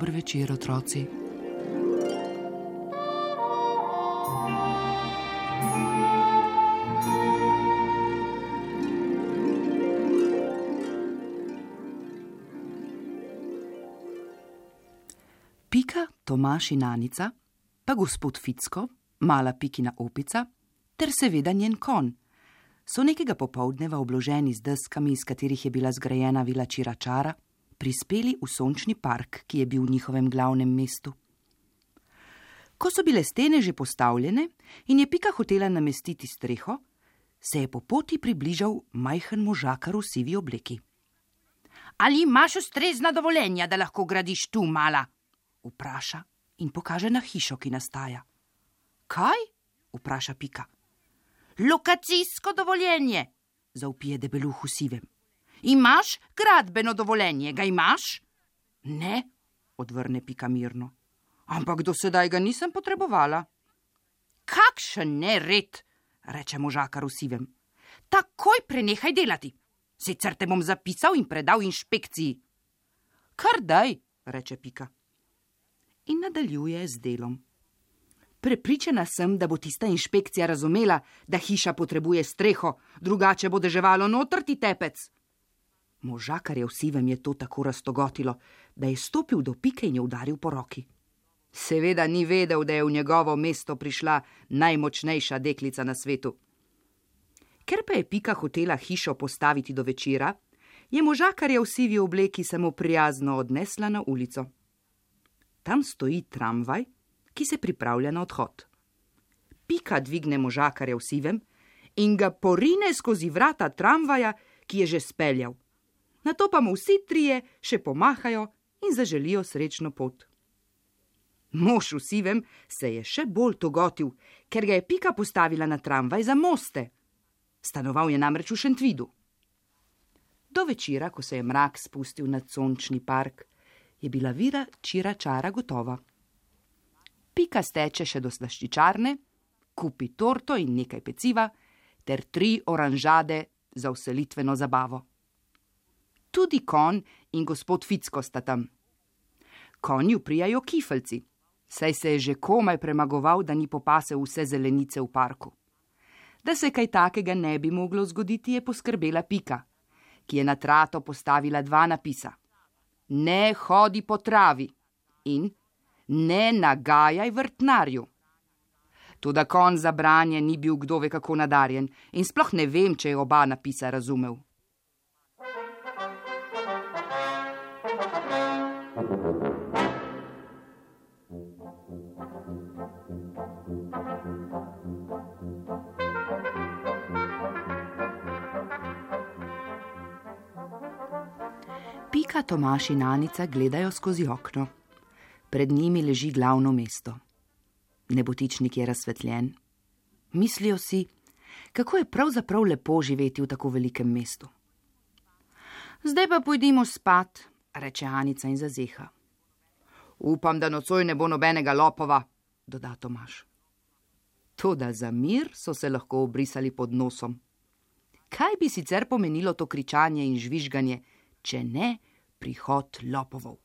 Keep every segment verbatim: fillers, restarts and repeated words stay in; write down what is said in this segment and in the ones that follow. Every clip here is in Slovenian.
Dober večer, otroci. Pika, Tomaž in Anica, pa gospod Ficko, mala Pikina opica, ter seveda njen konj, so nekega popoldneva obloženi z deskami, iz katerih je bila zgrajena vila Čiračara, prispeli v sončni park, ki je bil v njihovem glavnem mestu. Ko so bile stene že postavljene in je Pika hotela namestiti streho, se je po poti približal majhen možakar v sivi obleki. Ali imaš ustrezna dovoljenja, da lahko gradiš tu, mala? Vpraša in pokaže na hišo, ki nastaja. Kaj? Vpraša Pika. Lokacijsko dovoljenje, zavpije debeluh v sivem. Imaš gradbeno dovoljenje, ga imaš? Ne, odvrne Pika mirno. Ampak do sedaj ga nisem potrebovala. Kakšen nered, reče možakar v sivem. Takoj prenehaj delati, sicer te bom zapisal in predal inšpekciji. Kar daj, reče Pika. In nadaljuje z delom. Prepričana sem, da bo tista inšpekcija razumela, da hiša potrebuje streho, drugače bo deževalo notrti tepec. Možakarja v sivem je to tako raztogotilo, da je stopil do Pike in jo udaril po roki. Seveda ni vedel, da je v njegovo mesto prišla najmočnejša deklica na svetu. Ker pa je Pika hotela hišo postaviti do večera, je možakarja v sivi obleki samo prijazno odnesla na ulico. Tam stoji tramvaj, ki se pripravlja na odhod. Pika dvigne možakarja v sivem in ga porine skozi vrata tramvaja, ki je že speljal. Nato pa mu vsi trije še pomahajo in zaželijo srečno pot. Mož v sivem se je še bolj togotil, ker ga je Pika postavila na tramvaj za moste. Stanoval je namreč v Šentvidu. Do večera, ko se je mrak spustil nad sončni park, je bila vila Čiračara gotova. Pika steče še do slaščičarne, kupi torto in nekaj peciva ter tri oranžade za vselitveno zabavo. Tudi konj in gospod Ficko sta tam. Konju prijajo kifeljci, saj se je že komaj premagoval, da ni popasel vse zelenice v parku. Da se kaj takega ne bi moglo zgoditi, je poskrbela Pika, ki je na trato postavila dva napisa. Ne hodi po travi in ne nagajaj vrtnarju. Toda konj za branje ni bil kdo ve kako nadarjen in sploh ne vem, če je oba napisa razumel. Pika, Tomaž in Anica gledajo skozi okno. Pred njimi leži glavno mesto. Nebotičnik je razsvetljen. Mislijo si, kako je pravzaprav lepo živeti v tako velikem mestu. Zdaj pa pojdimo spat, reče Anica in zazeha. Upam, da nocoj ne bo nobenega lopova, doda Tomaž. Toda za mir so se lahko obrisali pod nosom. Kaj bi sicer pomenilo to kričanje in žvižganje, če ne prihod lopovov?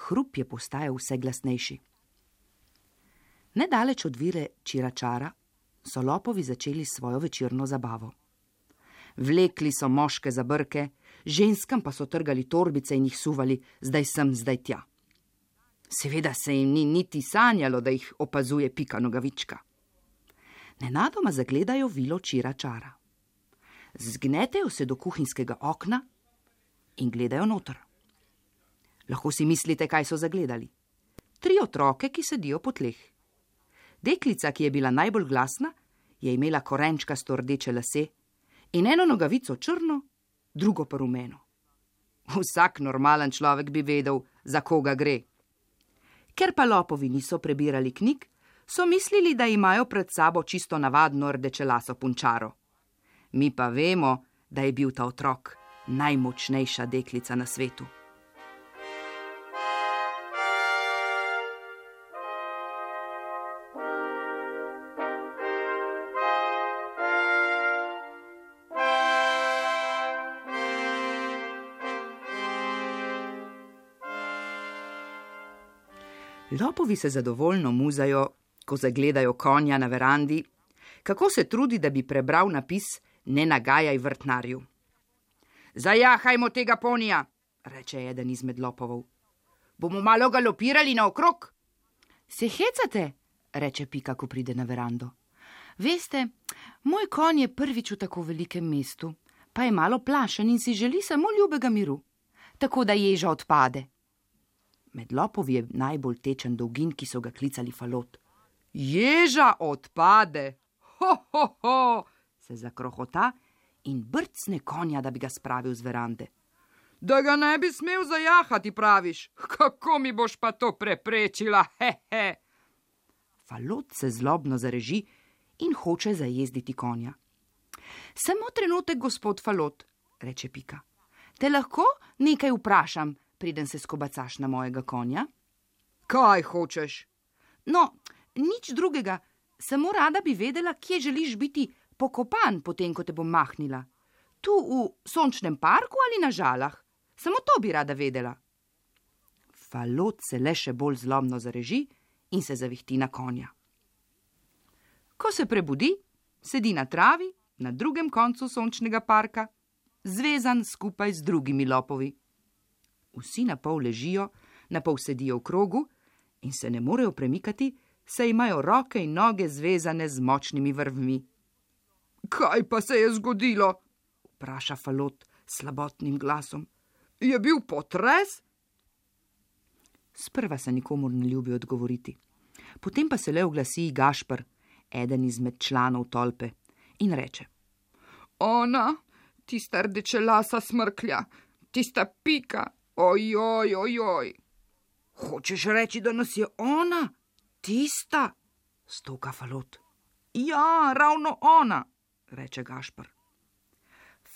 Hrup je postajal vse glasnejši. Nedaleč od vile Čiračara so lopovi začeli svojo večerno zabavo. Vlekli so moške za brke, ženskam pa so trgali torbice in jih suvali, zdaj sem, zdaj tja. Seveda se jim ni niti sanjalo, da jih opazuje Pika Nogavička. Nenadoma zagledajo vilo Čiračara. Zgnetejo se do kuhinjskega okna in gledajo noter. Lahko si mislite, kaj so zagledali. Tri otroke, ki sedijo po tleh. Deklica, ki je bila najbolj glasna, je imela korenčkasto rdeče lase in eno nogavico črno, drugo pa rumeno. Vsak normalen človek bi vedel, za koga gre. Ker pa lopovi niso prebirali knjig, so mislili, da imajo pred sabo čisto navadno rdečelaso punčaro. Mi pa vemo, da je bil ta otrok najmočnejša deklica na svetu. Lopovi se zadovoljno muzajo, ko zagledajo konja na verandi, kako se trudi, da bi prebral napis Ne nagajaj vrtnarju. Zajahajmo tega ponija, reče eden izmed lopovov. Bomo malo galopirali naokrog. Se hecate, reče Pika, ko pride na verando. Veste, moj konj je prvič v tako velikem mestu, pa je malo plašen in si želi samo ljubega miru, tako da ježa odpade. Med lopovi je najbolj tečen dolgin, ki so ga klicali Falot. Ježa odpade! Ho, ho, ho! Se zakrohota in brcne konja, da bi ga spravil z verande. Da ga ne bi smel zajahati, praviš? Kako mi boš pa to preprečila? He, he. Falot se zlobno zareži in hoče zajezditi konja. Samo trenutek, gospod Falot, reče Pika. Te lahko nekaj vprašam, preden se skobacaš na mojega konja? Kaj hočeš? No, nič drugega, samo rada bi vedela, kje želiš biti pokopan, potem, ko te bom mahnila. Tu v sončnem parku ali na Žalah? Samo to bi rada vedela. Falot se le še bolj zlobno zareži in se zavihti na konja. Ko se prebudi, sedi na travi na drugem koncu sončnega parka, zvezan skupaj z drugimi lopovi. Vsi na pol ležijo, na pol sedijo v krogu in se ne morejo premikati, saj imajo roke in noge zvezane z močnimi vrvmi. Kaj pa se je zgodilo? Vpraša Falot s slabotnim glasom. Je bil potres? Sprva se nikomur ne ljubi odgovoriti. Potem pa se le oglasi Gašper, eden izmed članov tolpe, in reče. Ona, tista rdečelasa smrklja, tista Pika, ojoj, ojoj. Hočeš reči, da nas je ona? Tista? Stoka Falot. Ja, ravno ona, reče Gašper.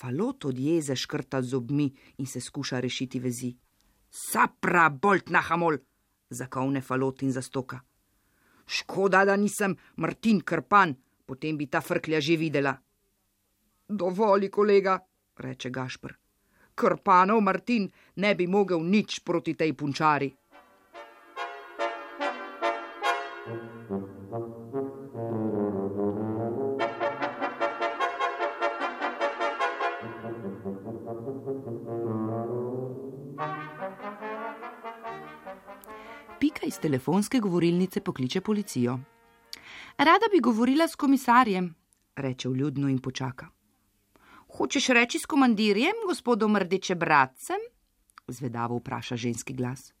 Falot od jeze škrta zobmi in se skuša rešiti vezi. Sapra, bolt na hamol, zakovne Falot in zastoka. Škoda, da nisem Martin Krpan, potem bi ta frklja že videla. Dovoli, kolega, reče Gašper. Krpanov Martin ne bi mogel nič proti tej punčari. Pika iz telefonske govorilnice pokliče policijo. Rada bi govorila s komisarjem, reče vljudno in počaka. Hočeš reči s komandirjem, gospodom Rdečebradcem? Zvedavo vpraša ženski glas.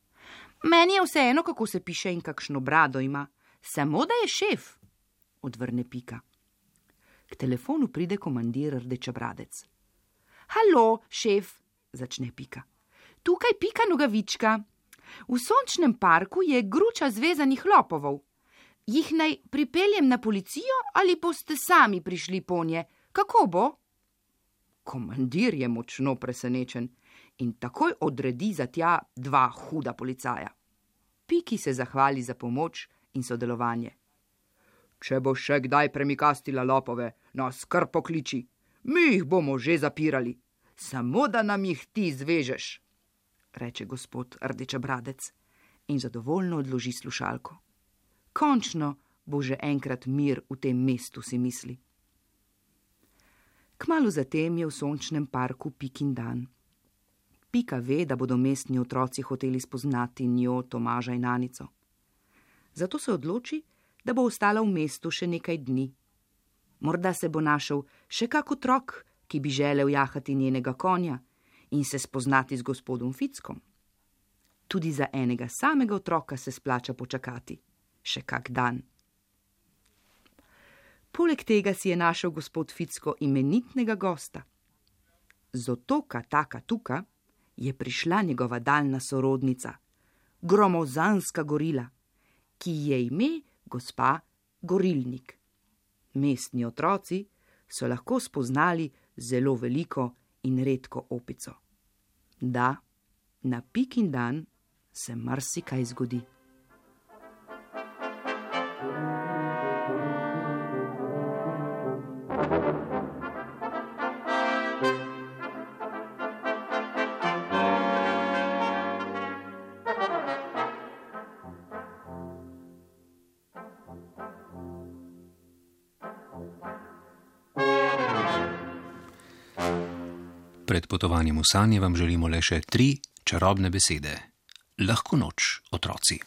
Meni je vseeno, kako se piše in kakšno brado ima, samo da je šef, odvrne Pika. K telefonu pride komandir Rdečebradec. Halo, šef, začne Pika. Tukaj Pika Nogavička. V sončnem parku je gruča zvezanih lopovov. Jih naj pripeljem na policijo ali boste sami prišli ponje? Kako bo? Komandir je močno presenečen in takoj odredi za tja dva huda policaja. Piki se zahvali za pomoč in sodelovanje. Če bo še kdaj premikastila lopove, nas kar pokliči. Mi jih bomo že zapirali, samo da nam jih ti zvežeš, reče gospod Rdečebradec in zadovoljno odloži slušalko. Končno bo že enkrat mir v tem mestu, si misli. Kmalu zatem je v sončnem parku Pikin dan. Pika ve, da bodo mestni otroci hoteli spoznati njo, Tomaža in Anico. Zato se odloči, da bo ostala v mestu še nekaj dni. Morda se bo našel še kak otrok, ki bi želel jahati njenega konja in se spoznati z gospodom Fickom. Tudi za enega samega otroka se splača počakati, še kak dan. Poleg tega si je našel gospod Ficko imenitnega gosta. Z otoka Taka Tuka je prišla njegova daljna sorodnica, gromozanska gorila, ki je ime gospa Gorilnik. Mestni otroci so lahko spoznali zelo veliko in redko opico. Da, na Pikin dan se marsikaj zgodi. Pred potovanjem v sanje vam želimo le še tri čarobne besede. Lahko noč, otroci.